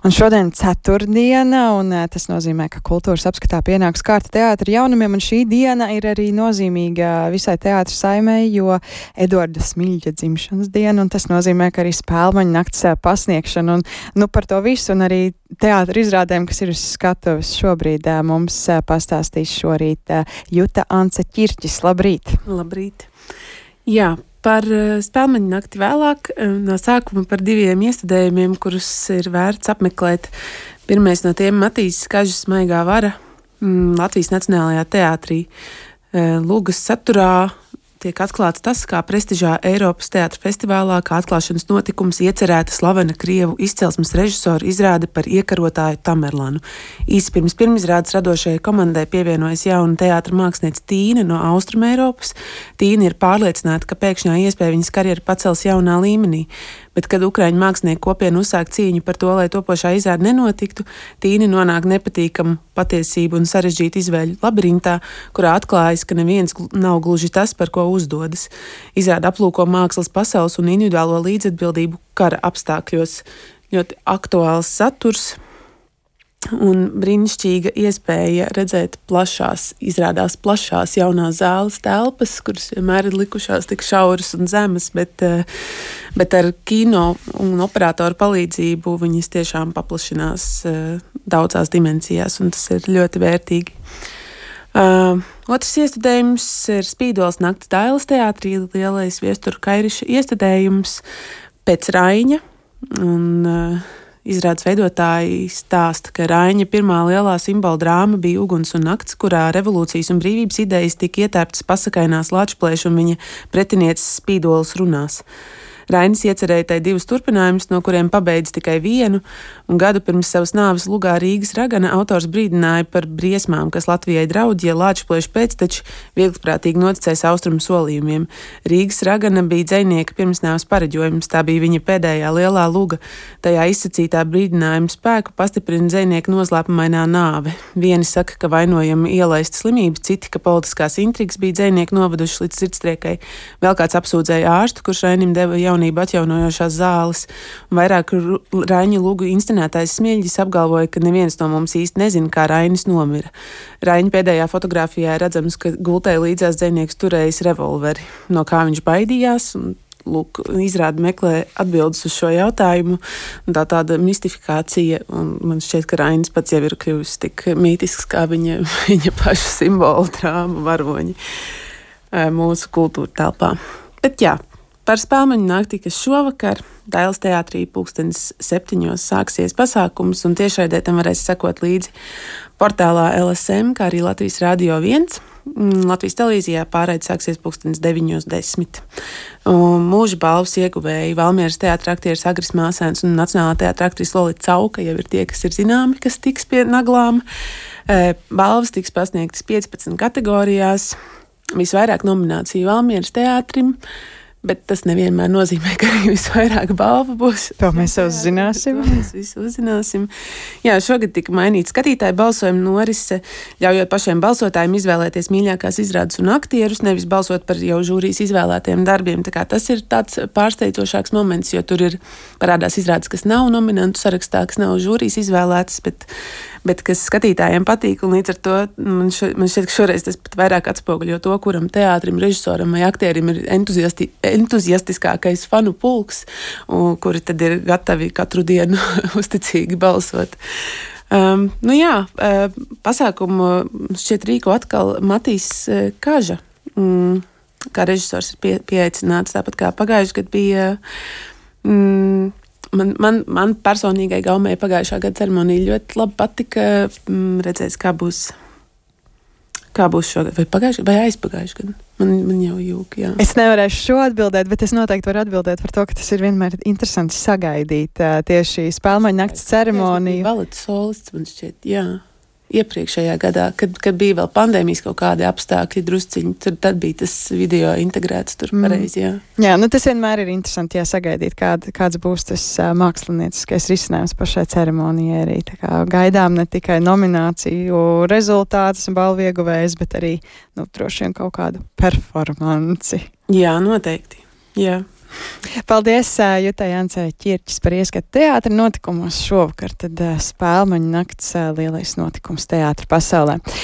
Un šodien ceturtdiena, un tas nozīmē, ka kultūras apskatā pienāks kārta teātra jaunumiem, un šī diena ir arī nozīmīga visai teātra saimei, jo Eduarda Smiļģa dzimšanas diena, un tas nozīmē, ka arī Spēlmaņu nakts pasniegšana, un par to visu, un arī teātra izrādēm, kas ir uz skatuves šobrīd, mums pastāstīs šorīt Juta Ance Ķirķis. Labrīt! Labrīt! Jā. Par Spēlmaņu nakti vēlāk, no sākuma par diviem iestudējumiem, kurus ir vērts apmeklēt. Pirmais no tiem Matīs Kažas Maigā vara Latvijas Nacionālajā teātrī. Lūgas saturā tiek atklāts tas, kā prestižā Eiropas teātra festivālā, kā atklāšanas notikums iecerēta slavena Krievu izcelsmes režisora izrāde par iekarotāju Tamerlanu. Īsi pirms pirmizrādes radošajai komandai pievienojas jauna teātra mākslinieca Tīne no Austrumeiropas. Tīne ir pārliecināta, ka pēkšņā iespēja viņas karjeru pacels jaunā līmenī. Bet, kad Ukraiņu mākslinieku kopiena uzsāk cīņu par to, lai topošā izrāde nenotiktu, Tīne nonāk nepatīkamu patiesību un sarežģītu izvēļu labirintā, kurā atklājas, ka neviens nav gluži tas, par ko uzdodas. Izrāde aplūko mākslas pasaules un individuālo līdzatbildību kara apstākļos. Ļoti aktuāls saturs un brīnišķīga iespēja redzēt izrādās plašās jaunās zāles telpas, kuras vienmēr ir likušās tik šauras un zemas, bet ar kino un operatoru palīdzību viņas tiešām paplašinās daudzās dimensijās, un tas ir ļoti vērtīgi. Otrs iestudējums ir Spīdoles nakts Dailes teātrī, lielais Viestura Kairiša iestudējums pēc Raiņa, un izrādes veidotāji stāsta, ka Raiņa pirmā lielā simbola drāma bija Uguns un nakts, kurā revolūcijas un brīvības idejas tika ietērptas pasakainās Lāčplēša un viņa pretinieces Spīdoles runās. Rainis iecerēja tai divus turpinājumus, no kuriem pabeidz tikai vienu, un gadu pirms savas nāves lugā Rīgas ragana autors brīdināja par briesmām, kas Latvijai draud, ja Lāčplēša pēcteči vieglprātīgi noticēs austrumu solījumiem. Rīgas ragana bija dzejnieka pirmsnāves pareģojums, tā bija viņa pēdējā lielā luga. Tajā izsacītā brīdinājuma spēku pastiprina dzejnieka noslēpumainā nāve. Vieni saka, ka vainojama ielaista slimības, citi, ka politiskās intrigas bija dzejnieki noveduši līdz sirdstriekai. Vēl kāds apsūdzēja ārstu, kurš Rainim deva jaunību atjaunojošās zāles, un vairāk Raiņa lugu inscenētājs Smiļģis apgalvoja, ka neviens no mums īsti nezina, kā Rainis nomira. Raiņa pēdējā fotogrāfijā redzams, ka gultē līdzās dzejnieks turējis revolveri, no kā viņš baidījās, un lūk, izrāde meklē atbildes uz šo jautājumu, un tāda mistifikācija, un man šķiet, ka Rainis pats jau ir kļuvis tik mītisks, kā viņa paša simbola drāma varoņi mūsu kultūra telpā. Bet jā, par Spēlmaņu nakti, kas šovakar Dailes teātrī 7:00 sāksies pasākums, un tiešraidē tam varēs sekot līdzi portālā LSM, kā arī Latvijas Radio 1. Latvijas televīzijā pārraide sāksies 9:10. Mūža balvas ieguvēji Valmieras teātra aktieris Agris Māsēns un Nacionālā teātra aktrise Lolita Cauka jau ir tie, kas ir zināmi, kas tiks pie naglām. Balvas tiks pasniegtas 15 kategorijās. Visvairāk nomināciju Valmieras teātrim, bet tas nevienmēr nozīmē, ka arī visvairāk balva būs. To mēs uzzināsim. Mēs visu uzzināsim. Jā, šogad tika mainīta skatītāju balsojuma norise, ļaujot pašiem balsotājiem izvēlēties mīļākās izrādes un aktierus, nevis balsot par jau žūrijas izvēlētiem darbiem. Tā kā tas ir tāds pārsteidzošāks moments, jo tur ir parādās izrādes, kas nav nominantu sarakstā, kas nav žūrijas izvēlētas, bet kas skatītājiem patīk, un līdz ar to man šķiet, ka šoreiz tas pat vairāk atspoguļo to, kuram teātrim, režisoram vai aktierim ir entuziastiskākais fanu pulks, kuri tad ir gatavi katru dienu uzticīgi balsot. Pasākumu šķiet rīko atkal Matīs Kaža, kā režisors ir pieaicināts, tāpat kā pagājuši gadu bija. Man personīgai gaumei pagājušā gada ceremonija ļoti labi patika. Redzēs, kā būs šogad, vai aizpagājuši gadu. Man jau jūk, jā. Es nevarēšu šo atbildēt, bet es noteikti varu atbildēt par to, ka tas ir vienmēr interesanti sagaidīt tieši Spēlmaņu nakts ceremoniju. Baleta solists, man šķiet, jā. Iepriekšējā gadā, kad bija vēl pandēmijas kaut kādi apstākļi drusciņi, tad bija tas video integrēts tur pareizi, jā. Jā, tas vienmēr ir interesanti, sagaidīt, kāds būs tas mākslinieciskais risinājums pašai ceremonijai arī. Tā kā gaidām ne tikai nomināciju rezultātus un balvu ieguvējus, bet arī, droši vien kaut kādu performanci. Jā, noteikti, jā. Paldies Jutai Jancei Ķirķis par ieskatu teātra notikumos šovakar, tad Spēlmaņu nakts lielais notikums teātra pasaulē.